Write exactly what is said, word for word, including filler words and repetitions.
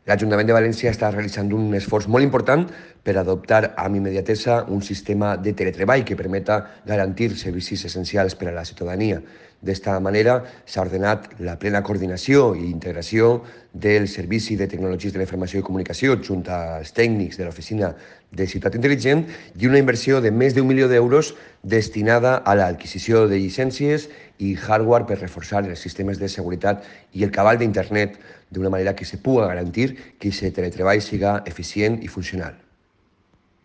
L'Ajuntament de València està realitzant un esforç molt important per adoptar amb immediatesa un sistema de teletreball que permeta garantir servicis essencials per a la ciutadania. D'esta manera s'ha ordenat la plena coordinació i integració del Servici de Tecnologies de la Informació i Comunicació junt als tècnics de l'Oficina de Ciutat Intel·ligent i una inversió de més d'un milió d'euros destinada a l'adquisició de llicències i hardware per reforçar els sistemes de seguretat i el cabal d'internet d'una manera que se puga garantir que aquest teletreball siga eficient i funcional.